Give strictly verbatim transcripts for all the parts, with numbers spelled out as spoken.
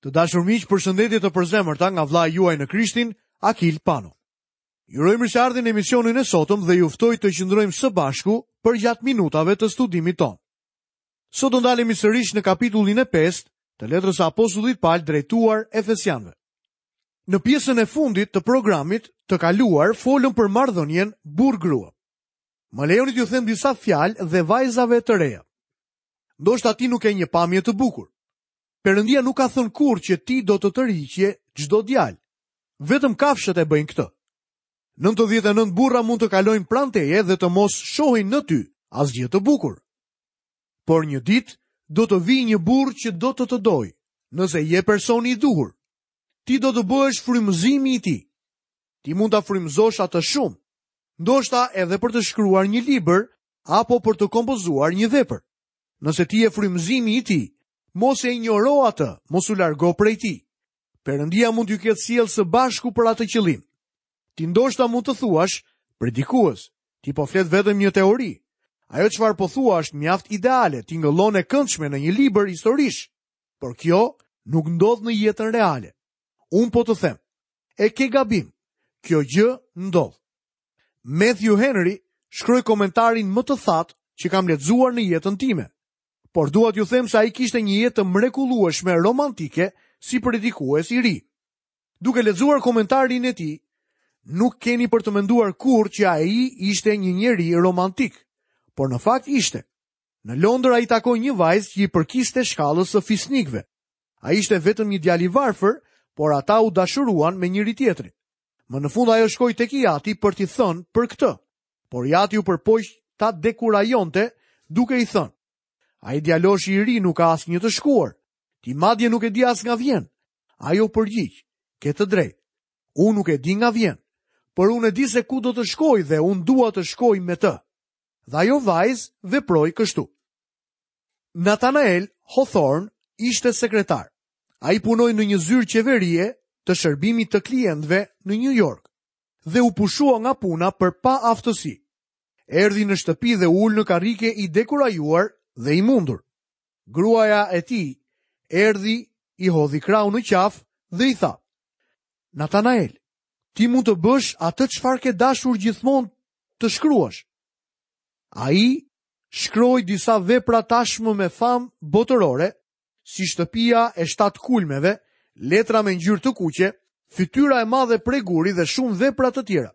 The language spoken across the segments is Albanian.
Të dashur miq, përshëndetje të përzemërta nga vëllai juaj në Krishtin, Akil Pano. Ju uroj mirëseardhjen në emisionin e sotëm dhe ju ftoj të qëndrojmë së bashku përgjatë minutave të studimit tonë. Sot do ndalemi sërish në kapitullin e pestë të letrës së apostullit Pal drejtuar Efesianëve. Në pjesën e fundit të programit të kaluar folëm për marrëdhënien burr-grua. Më lejoni t'ju them disa fjalë dhe vajzave të reja. Ndoshta ti nuk ke një pamje të bukur. Perëndia nuk ka thënë kurrë që ti do të tërhiqje çdo djalë. Vetëm kafshët e bëjnë këtë. Nëntëdhjetë e nëntë burra mund të kalojnë pranë teje dhe të mos shohin në ty asgjë të bukur. Por një ditë do të vijë një burrë që do të të dojë, nëse je personi i duhur. Ti do të bëhesh frymëzimi i tij. Ti mund ta frymëzosh atë shumë, ndoshta edhe për të shkruar një libër apo për të kompozuar një vepër. Nëse ti je frymëzimi i tij, mos e injoro atë, mos u largo prej tij. Perëndia mund t'ju ketë sjellë së bashku për atë qëllim. Ti ndoshta mund të thuash, predikues, ti po flet vetëm një teori. Ajo çfarë po thua është mjaft ideale, tingëllon e këndshme në një libër historish, por kjo nuk ndodh në jetën reale. Unë po të them, e ke gabim, kjo gjë ndodh. Matthew Henry shkroi komentarin më të thatë që kam lexuar në jetën time. Por dua t'ju them se ai kishte një jetë të mrekullueshme romantike si predikues i ri. Duke lexuar komentarin e tij, nuk keni për të menduar kurrë që ai ishte një njeri romantik, por në fakt ishte. Në Londër ai takoi një vajzë që i përkiste shkallës së fisnikëve. Ai ishte vetëm një djalë i varfër, por ata u dashuruan me njëri tjetrin. Më në fund ajo shkoi tek i ati për t'i thënë për këtë, por i ati u përpoq ta dekurajonte duke i thënë: Ai djaloshi i ri nuk ka asnjë të shkuar. Ti madje nuk e di as nga vjen. Ajo përgjigj: Ke të drejtë. Unë nuk e di nga vjen, por unë e di se ku do të shkoj dhe unë dua të shkoj me të. Dhe ajo vajzë veproi kështu. Nathanael Hawthorne ishte sekretar. Ai punoi në një zyrë qeverie të shërbimit të klientëve në New York dhe u pushua nga puna për paaftësi. Erdhi në shtëpi dhe u ul në karrike i dekurajuar dhe i mundur. Gruaja e tij erdhi, i hodhi krahun në qafë dhe i tha: Nathanael, ti mund të bësh atë çfarë ke dashur gjithmonë të shkruash. Ai shkroi disa vepra tashmë me famë botërore, si Shtëpia e shtatë kulmeve, Letra me ngjyrë të kuqe, Fytyra e madhe prej guri dhe shumë vepra të tjera.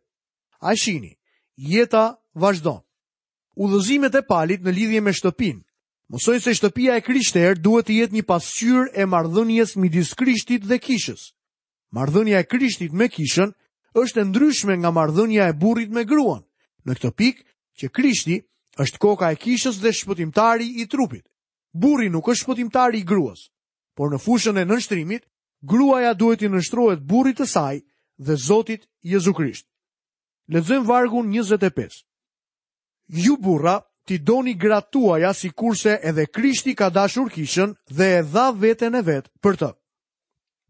A shihni, jeta vazhdon. Udhëzimet e Palit në lidhje me shtëpinë mësojnë se shtëpia e krishterë duhet të jetë një pasqyrë e marrëdhënies midis Krishtit dhe kishës. Marrëdhënia e Krishtit me kishën është e ndryshme nga marrëdhënia e burrit me gruan. Në këtë pikë që Krishti është koka e kishës dhe shpëtimtari i trupit. Burri nuk është shpëtimtari i gruas, por në fushën e nënshtrimit, gruaja duhet t'i nënshtrohet burrit të saj dhe Zotit Jezu Krisht. Lexojmë vargun njëzet e pesë. Ju burra, ti doni gratë tuaja sikurse edhe Krishti ka dashur kishën dhe e dha veten e vet për të.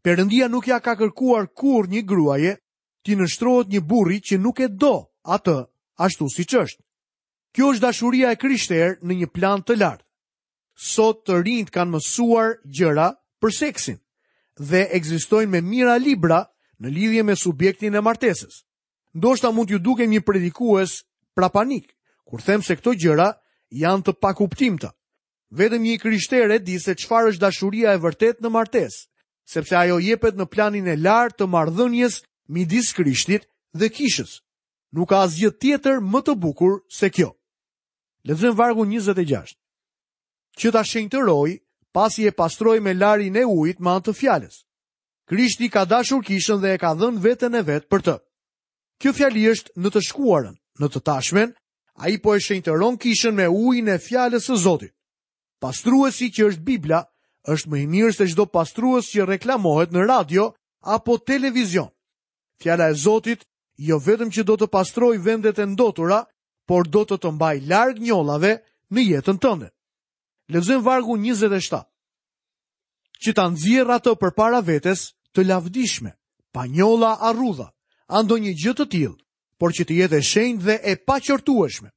Perëndia nuk ja ka kërkuar kurrë një gruaje t'i nënshtrohet një burri që nuk e do atë ashtu siç është. Kjo është dashuria e krishterë në një plan të lartë. Sot të rinjt kanë mësuar gjëra për seksin dhe ekzistojnë me mijëra libra në lidhje me subjektin e martesës. Ndoshta mund t'ju dukem një predikues prapanik, kur them se këto gjëra janë të pakuptimta. Vetëm një krishterë e di se çfarë është dashuria e vërtetë në martesë, sepse ajo jepet në planin e lartë të marrëdhënies midis Krishtit dhe kishës. Nuk ka asgjë tjetër më të bukur se kjo. Lexojmë vargun njëzet e gjashtë. Që ta shenjtëroj, pasi e pastroi me larin e ujit me anë të fjalës. Krishti ka dashur kishën dhe e ka dhënë veten e vet për të. Kjo fjali është në të shkuarën, në të tashmen, ai po e shenjtëron kishën me ujin e fjalës së Zotit. Pastruesi që është Bibla është më i mirë se çdo pastrues që reklamohet në radio apo televizion. Fjala e Zotit jo vetëm që do të pastrojë vendet e ndotura, por do të të mbajë larg njollave në jetën tënde. Lexojmë vargun njëzet e shtatë. Që ta nxjerr atë përpara vetes të lavdishme, pa njolla a rrudha, a ndonjë gjë të tillë, por që të jetë e shenjtë dhe e paqortueshme.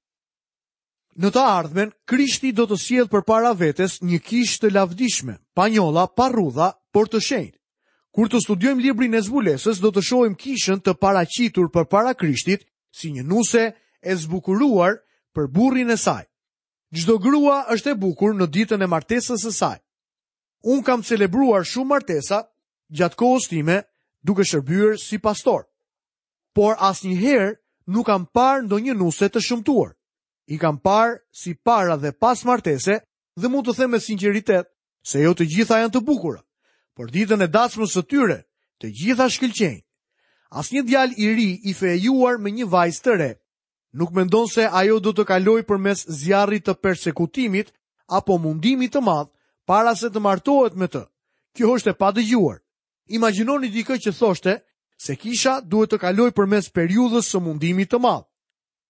Në të ardhmen, Krishti do të sjellë përpara vetes një kishë të lavdishme, pa njolla, pa rrudha, por të shenjtë. Kur të studiojmë librin e zbulesës, do të shohim kishën të paraqitur përpara Krishtit si një nuse e zbukuruar për burrin e saj. Çdo grua është e bukur në ditën e martesës së saj. Unë kam celebruar shumë martesa gjatë kohës time duke shërbyer si pastor. Por asnjëherë nuk kam parë ndonjë nuse të shëmtuar. I kam parë si para dhe pas martese dhe mund të them me sinqeritet se jo të gjitha janë të bukura, por ditën e dasmës së tyre të gjitha shkëlqejnë. Asnjë djalë i ri i fejuar me një vajzë të re nuk mendon se ajo do të kalojë përmes zjarrit të persekutimit apo mundimit të madh para se të martohet me të. Kjo është e padëgjuar. Imagjinoni dikë që thoshte se kisha duhet të kalojë përmes periudhës së mundimit të madh.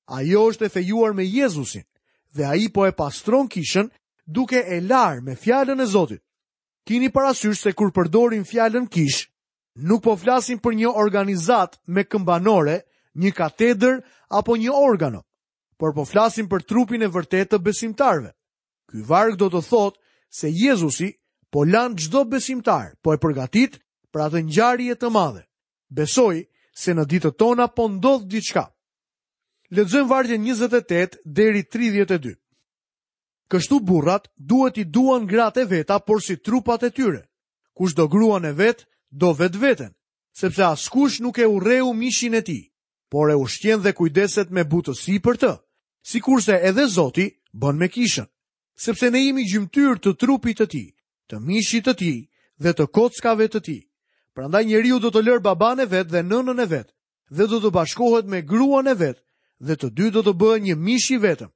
Ajo është e fejuar me Jezusin dhe ai po e pastron kishën duke e larë me fjalën e Zotit. Kini parasysh se kur përdorim fjalën kish, nuk po flasim për një organizatë me këmbanore, një katedër apo një organo, por po flasim për trupin e vërtetë të besimtarëve. Ky varg do të thotë se Jezusi po lan çdo besimtar, po e përgatit për atë ngjarje të madhe. Besoj se në ditët tona po ndodh diçka. Lexojmë vargjen njëzet e tetë deri tridhjetë e dy. Kështu burrat duhet i duan gratë e veta, por si trupat e tyre. Kush do gruan e vet, do vetveten, sepse askush nuk e urreu mishin e tij, por e ushqen dhe kujdeset me butësi për të, sikurse edhe Zoti bën me kishën, sepse ne jemi gjymtyrë të trupit të tij, të mishit të tij dhe të kockave të tij. Prandaj njeriu do të lërë babanë e vet dhe nënën e vet, dhe do të bashkohet me gruan e vet, dhe të dy do të bëhen një mish i vetëm.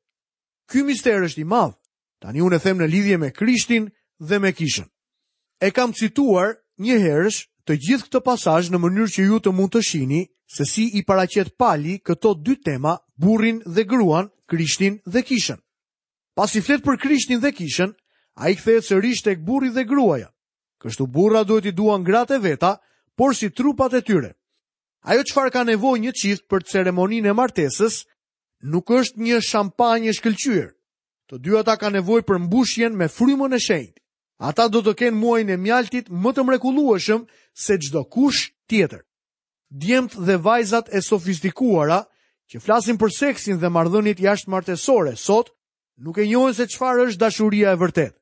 Ky mister është i madh. Tani unë e them në lidhje me Krishtin dhe me kishën. E kam cituar një herësh të gjithë këtë pasazh në mënyrë që ju të mund të shihni se si i paraqet Pali këto dy tema, burrin dhe gruan, Krishtin dhe kishën. Pasi flet për Krishtin dhe kishën, ai kthehet sërish tek burri dhe gruaja. Kështu burra duhet i duan gratë e veta, por si trupat e tyre. Ajo çfarë ka nevojë një çift për ceremoninë e martesës nuk është një shampanjë e shkëlqyer. Të dy ata kanë nevojë për mbushjen me frymën e shenjtë. Ata do të kenë muajin e mjaltit më të mrekullueshëm se çdo kush tjetër. Djemt dhe vajzat e sofistikuara që flasin për seksin dhe marrëdhëniet jashtëmartesore sot nuk e njohin se çfarë është dashuria e vërtetë.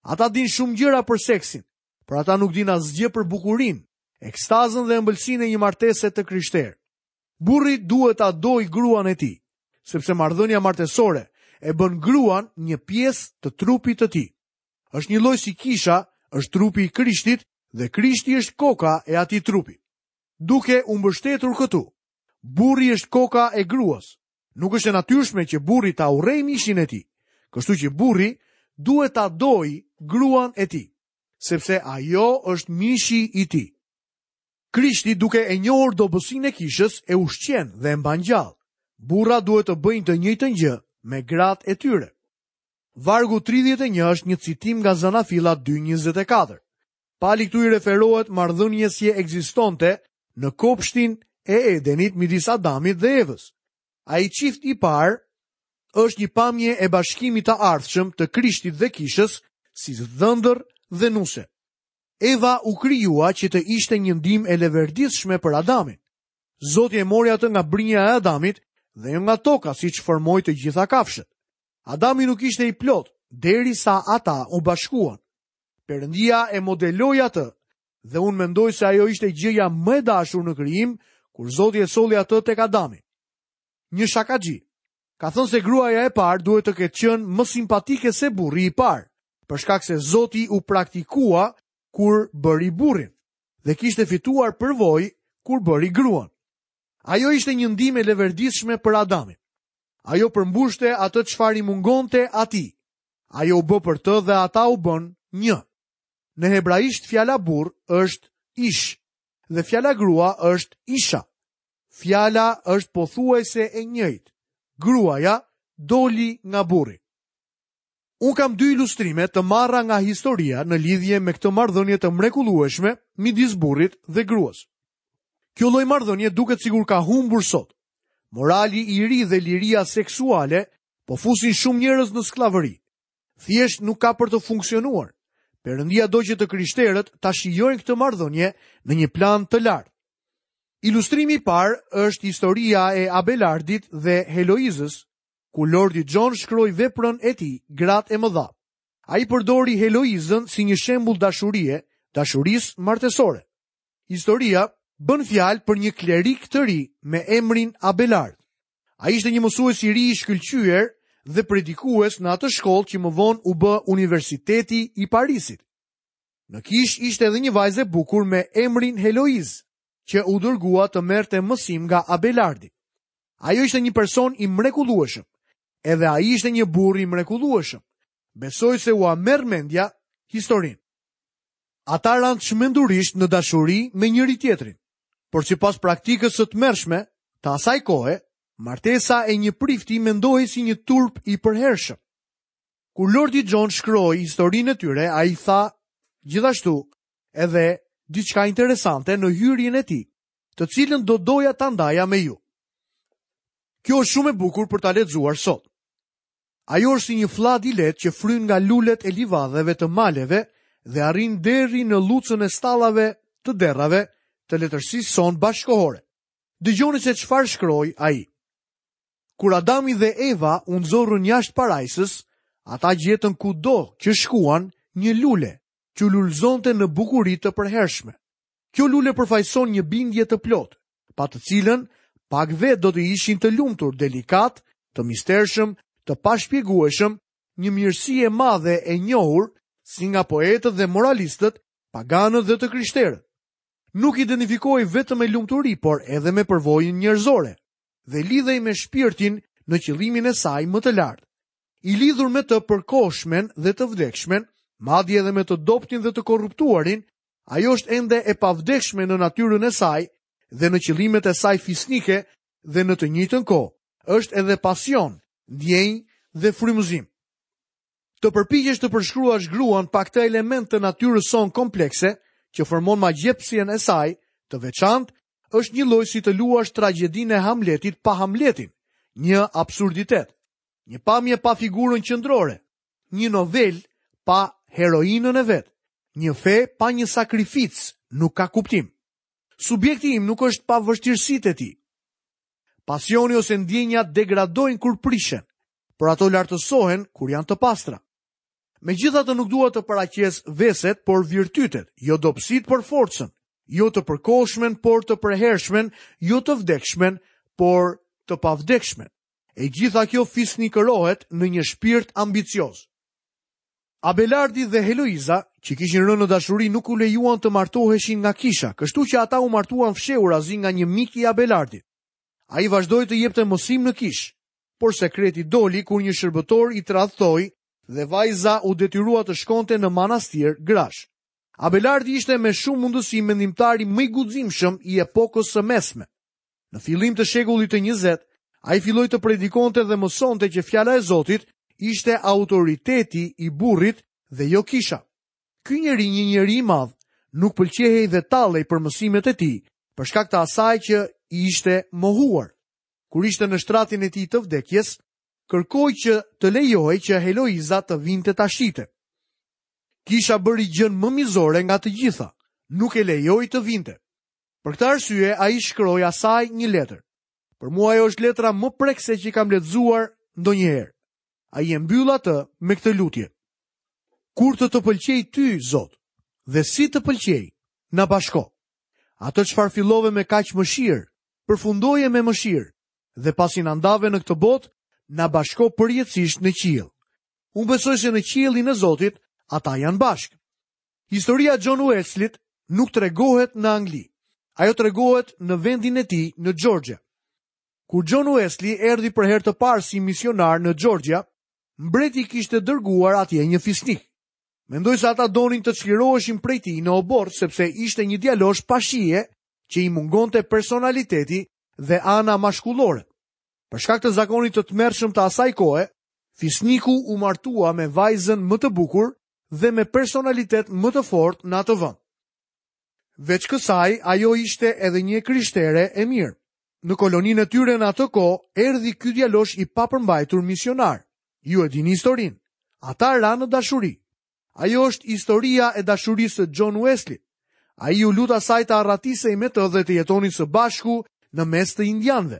Ata dinë shumë gjëra për seksin, por ata nuk dinë asgjë për bukurinë, ekstazën dhe ëmbëlsinë e një martese të krishterë. Burri duhet ta dojë gruan e tij, sepse marrëdhënia martesore e bën gruan një pjesë të trupit të tij. Është një lloj si kisha, është trupi i Krishtit dhe Krishti është koka e atij trupi. Duke u mbështetur këtu, burri është koka e gruas. Nuk është e natyrshme që burri ta urrejë mishin e tij. Kështu që burri duhet ta dojë gruan e tij, sepse ajo është mishi i tij. Krishti, duke e njohur dobësinë e kishës, e ushqen dhe e mban gjallë. Burra duhet të bëjnë të njëjtën gjë me gratë e tyre. Vargu tridhjetë e një është një citim nga Zanafilla dy njëzet e katër. Pali këtu i referohet marrëdhënies që ekzistonte në kopshtin e Edenit midis Adamit dhe Evës. Ai çift i parë është një pamje e bashkimit të ardhshëm të Krishtit dhe kishës si dhëndër dhe nuse. Eva u krijua që të ishte një ndihmë e leverdishme për Adamin. Zoti e mori atë nga brinja e Adamit dhe jo nga toka, siç formoi të gjitha kafshët. Adami nuk ishte i plot derisa ata u bashkuan. Perëndia e modeloi atë dhe unë mendoj se ajo ishte gjëja më e dashur në krijim kur Zoti e solli atë tek Adami. Një shakaxhi ka thënë se gruaja e parë duhet të ketë qenë më simpatike se burri i parë, për shkak se Zoti u praktikua kur bëri burrin dhe kishte fituar përvojë kur bëri gruan. Ajo ishte një ndihmë e leverdishme për Adamin. Ajo përmbushte atë çfarë i mungonte atij. Ajo u bë për të dhe ata u bën një. Në hebraisht fjala burr është ish dhe fjala grua është isha. Fjala është pothuajse e njëjtë. Gruaja doli nga burri. Unë kam dy ilustrime të marra nga historia në lidhje me këtë marrëdhënie të mrekullueshme midis burrit dhe gruas. Kjo lloj marrëdhënie duket sikur ka humbur sot. Morali i ri dhe liria seksuale po fusin shumë njerëz në skllavëri. Thjesht nuk ka për të funksionuar. Perëndia do që të krishterët ta shijojnë këtë marrëdhënie në një plan të lartë. Ilustrimi i parë është historia e Abelardit dhe Heloizës, ku Lordi John shkroi veprën e tij, Gratë e Mëdha. Ai përdori Heloizën si një shembull dashurie, dashurisë martesore. Historia bën fjalë për një klerik të ri me emrin Abelard. Ai ishte një mësues i ri i shkëlqyer dhe predikues në atë shkollë që më vonë u bë Universiteti i Parisit. Në kishë ishte edhe një vajzë e bukur me emrin Heloiz, që u dërgua të merrte mësim nga Abelardi. Ajo ishte një person i mrekullueshëm. Edhe ai ishte një burrë i mrekullueshëm. Besoj se ua merr mendja historinë. Ata ranë çmendurisht në dashuri me njëri tjetrin. Por sipas praktikës së tmerrshme të asaj kohe, martesa e një prifti mendohej si një turp i përhershëm. Kur Lordi John shkroi historinë e tyre, ai tha gjithashtu edhe diçka interesante në hyrjen e tij, të cilën do doja ta ndaja me ju. Kjo është shumë e bukur për ta lexuar sot. Ajo është si një fllad i lehtë që fryn nga lulet e livadheve të maleve dhe arrin deri në llucën e stallave të derrave të letërsisë sonë bashkohore. Dëgjoni se çfarë shkroi ai. Kur Adami dhe Eva u nxorrën jashtë parajsës, ata gjetën kudo që shkuan një lule që lulëzonte në bukuri të përhershme. Kjo lule përfaqëson një bindje të plotë, pa të cilën pak vetë do të ishin të lumtur, delikat, të mistershëm, të pashpjegueshëm, një mirësi e madhe e njohur si nga poetët dhe moralistët, paganët dhe të krishterët. Nuk identifikohej vetëm me lumturi, por edhe me përvojën njerëzore dhe lidhej me shpirtin në qëllimin e saj më të lartë. I lidhur me të përkohshmen dhe të vdekshmen, madje edhe me të dobtin dhe të korruptuarin, ajo është ende e pavdekshme në natyrën e saj dhe në qëllimet e saj fisnike dhe në të njëjtën kohë është edhe pasion, ndjenjë dhe frymëzim. Të përpiqesh të përshkruash gruan pa këtë element të natyrës sonë komplekse, që formon magjepsjen e saj të veçantë, është një lloj si të luash tragjedinë e Hamletit pa Hamletin, një absurditet, një pamje pa figurën qendrore, një novel pa heroinën e vet, një fe pa një sakrificë nuk ka kuptim. Subjekti im nuk është pa vështirësitë e tij. Pasioni ose ndjenja degradojnë kur prishen, por ato lartësohen kur janë të pastra. Megjithatë nuk dua të paraqes veset, por virtytet, jo dobësitë, por forcën, jo të përkohshmen, por të përhershmen, jo të vdekshmen, por të pavdekshmen. E gjitha kjo fisnikërohet në një shpirt ambicioz. Abelardi dhe Heloiza, që kishin rënë në dashuri, nuk u lejuan të martoheshin nga kisha, kështu që ata u martuan fshehurazi nga një mik i Abelardit. Ai vazhdoi të jepte mësim në kishë, por sekreti doli kur një shërbëtor i tradhtoi dhe vajza u detyrua të shkonte në manastir grash. Abelardi ishte me shumë mundësi mendimtari më i guximshëm i epokës së mesme. Në fillim të shekullit të njëzet, ai filloi të predikonte dhe mësonte që fjala e Zotit ishte autoriteti i burrit dhe jo kisha. Ky njeri, një njeri i madh, nuk pëlqehej dhe tallej për mësimet e tij, për shkak të asaj që i ishte mohuar. Kur ishte në shtratin e tij të vdekjes, kërkoi që të lejohej që Heloiza të vinte ta shihte. Kisha bëri gjën më mizore nga të gjitha, nuk e lejoi të vinte. Për këtë arsye ai shkroi asaj një letër. Për mua ajo është letra më prekëse që kam lexuar ndonjëherë. Ai e mbyll atë me këtë lutje: Kur të të pëlqej ty, Zot, dhe si të pëlqej, na bashko. Atë çfarë fillove me kaq mëshirë, përfundoje me mëshirë, dhe pasi na ndave në këtë botë, na bashko përjetësisht në qiell. Unë besoj se në qiellin e Zotit ata janë bashkë. Historia e John Wesleyt nuk tregohet në Angli. Ajo tregohet në vendin e tij në Georgia. Kur John Wesley erdhi për herë të parë si misionar në Georgia, mbreti kishte dërguar atje një fisnik. Mendoj se ata donin të çliroheshin prej tij në oborr, sepse ishte një djalosh pa shije që i mungonte personaliteti dhe ana mashkullore. Për shkak të zakonit të tmerrshëm të asaj kohe, fisniku u martua me vajzën më të bukur dhe me personalitet më të fortë në atë vend. Veç kësaj, ajo ishte edhe një krishtere e mirë. Në koloninë e tyre në atë kohë erdhi ky djalosh i papërmbajtur misionar. Ju e dini historinë. Ata ranë në dashuri. Ajo është historia e dashurisë së John Wesley. Ai iu lut asaj të arratisej me të dhe të jetonin së bashku në mes të indianëve.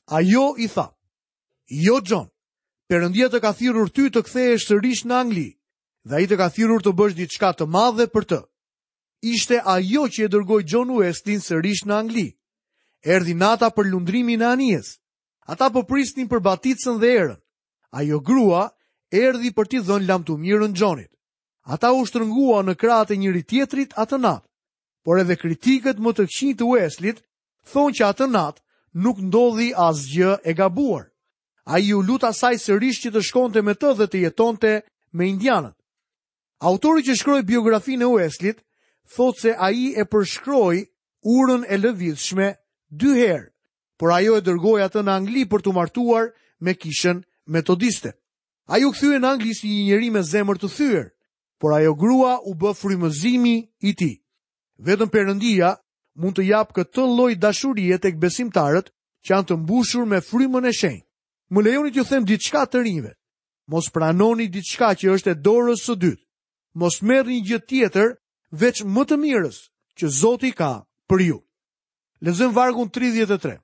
Ajo i tha: "Jo John, Perëndia të ka thirrur ty të kthehesh sërish në Angli, dhe ai të ka thirrur të bësh diçka të madhe për të." Ishte ajo që e dërgoi John Wesleyn sërish në Angli. Erdhi nata për lundrimin e anijes. Ata po prisnin për baticën dhe erën. Ajo grua erdhi për t'i dhënë lamtumirën Johnit. Ata u shtrënguan në krahët e njëri tjetrit atë natë. Por edhe kritikët më të këqij të Wesleyt thonë që atë natë nuk ndodhi asgjë e gabuar. Ai iu lut asaj sërish që të shkonte me të dhe të jetonte me indianët. Autori që shkroi biografinë e Wesleyt thotë se ai e përshkroi urën e lëvizshme dy herë, por ajo e dërgoi atë në Angli për t'u martuar me kishën metodiste. Ai u kthye në Angli si një njeri me zemër të thyer, por ajo grua u bë frymëzimi i tij. Vetëm Perëndia mund të japë këtë lloj dashurie tek besimtarët që janë të mbushur me frymën e shenjtë. Më lejoni t'ju them diçka të rinjve. Mos pranoni diçka që është e dorës së dytë. Mos merrni gjë tjetër veç më të mirës që Zoti ka për ju. Lexojmë vargun tridhjetë e tre.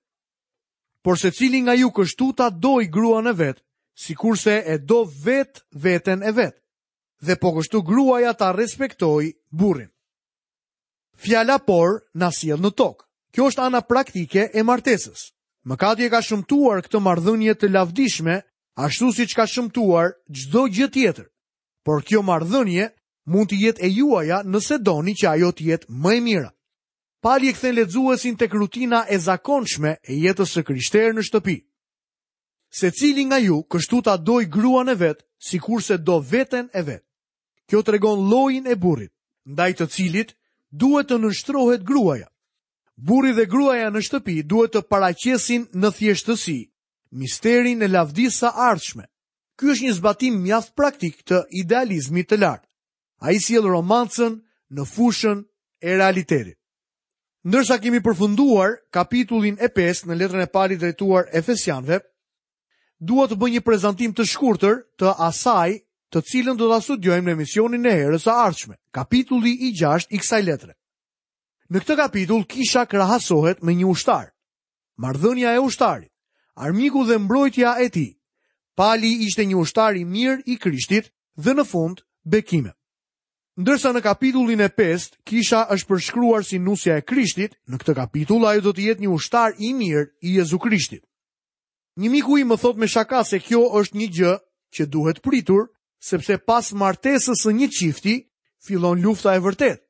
Por secili nga ju kështu ta doj gruan e vet, sikurse e do vet veten e vet, dhe po kështu gruaja ta respektoj burrin. Fjala por na sjell në tokë. Kjo është ana praktike e martesës. Mëkati e ka shëmtuar këtë marrëdhënie të lavdishme, ashtu siç ka shëmtuar çdo gjë tjetër. Por kjo marrëdhënie mund të jetë e juaja nëse doni që ajo të jetë më e mira. Pali e kthen lexuesin tek rutina e zakonshme e jetës së krishterë në shtëpi. Secili nga ju kështu ta doj gruan e vet, sikurse do veten e vet. Kjo tregon llojin e burrit, ndaj të cilit duhet të nënshtrohet gruaja. Burri dhe gruaja në shtëpi duhet të paraqesin në thjeshtësi misterin e lavdisë së ardhshme. Ky është një zbatim mjaft praktik të idealizmit të lartë. Ai sjell romancën në fushën e realitetit. Ndërsa kemi përfunduar kapitullin e pestë në letrën e Palit drejtuar Efesianëve, dua të bëj një prezantim të shkurtër të asaj të cilën do ta studiojmë në emisionin e herës së ardhshme, kapitulli i gjashtë i kësaj letre. Në këtë kapitull kisha krahasohet me një ushtar. Marrëdhënia e ushtarit, armiku dhe mbrojtja e tij. Pali ishte një ushtar i mirë i Krishtit dhe në fund bekime. Ndërsa në kapitullin e pestë kisha është përshkruar si nusja e Krishtit, në këtë kapitull ajo do të jetë një ushtar i mirë i Jezu Krishtit. Një miku im më thotë me shaka se kjo është një gjë që duhet pritur, sepse pas martesës së një çifti fillon lufta e vërtetë.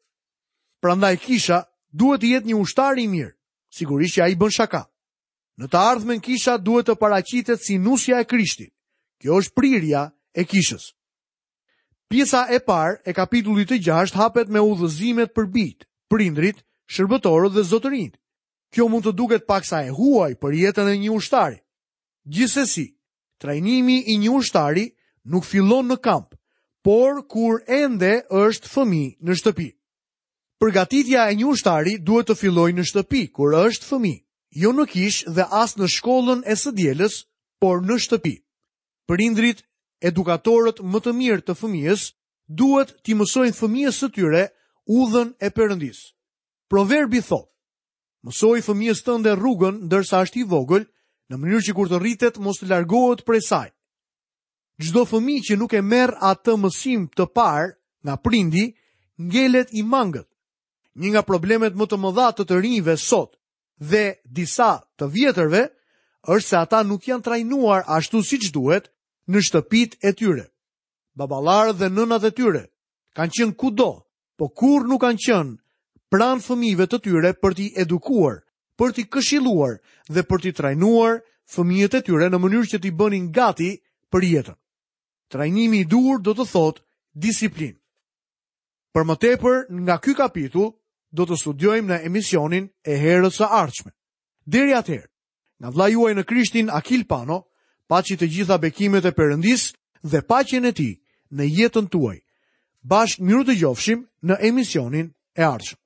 Prandaj kisha duhet të jetë një ushtar i mirë, sigurisht që ai bën shaka. Në të ardhmen kisha duhet të paraqitet si nusja e Krishtit. Kjo është prirja e kishës. Pjesa e parë e kapitullit të gjashtë hapet me udhëzimet për bijtë, prindrit, shërbëtorët dhe zotërinjtë. Kjo mund të duket paksa e huaj për jetën e një ushtari. Gjithsesi, trajnimi i një ushtari nuk fillon në kamp, por kur ende është fëmijë në shtëpi. Përgatitja e një ushtari duhet të fillojë në shtëpi kur është fëmijë, jo në kishë dhe as në shkollën e së dielës, por në shtëpi. Prindrit, edukatorët më të mirë të fëmijës, duhet t'i mësojnë fëmijës së tyre udhën e Perëndisë. Proverbi thotë: Mësoi fëmijës tënde rrugën ndërsa është i vogël, në mënyrë që kur të rritet mos të largohet prej saj. Çdo fëmijë që nuk e merr atë mësim të parë nga prindi, ngelet i mangët. Një nga problemet më të mëdha të të rinjve sot dhe disa të vjetërve është se ata nuk janë trajnuar ashtu siç duhet në shtëpitë e tyre. Baballarët dhe nënat e tyre kanë qenë kudo, po kurrë nuk kanë qenë pranë fëmijëve të tyre për t'i edukuar, për t'i këshilluar dhe për t'i trajnuar fëmijët e tyre në mënyrë që t'i bënin gati për jetën. Trajnimi i duhur do të thotë disiplinë. Për më tepër, nga ky kapitull do të studiojmë në emisionin e herës së ardhshme. Deri atëherë, nga vëllai juaj në Krishtin Akil Pano, paçi të gjitha bekimet e Perëndisë dhe paqen e tij në jetën tuaj. Bashkë miru dëgjofshim në emisionin e ardhshëm.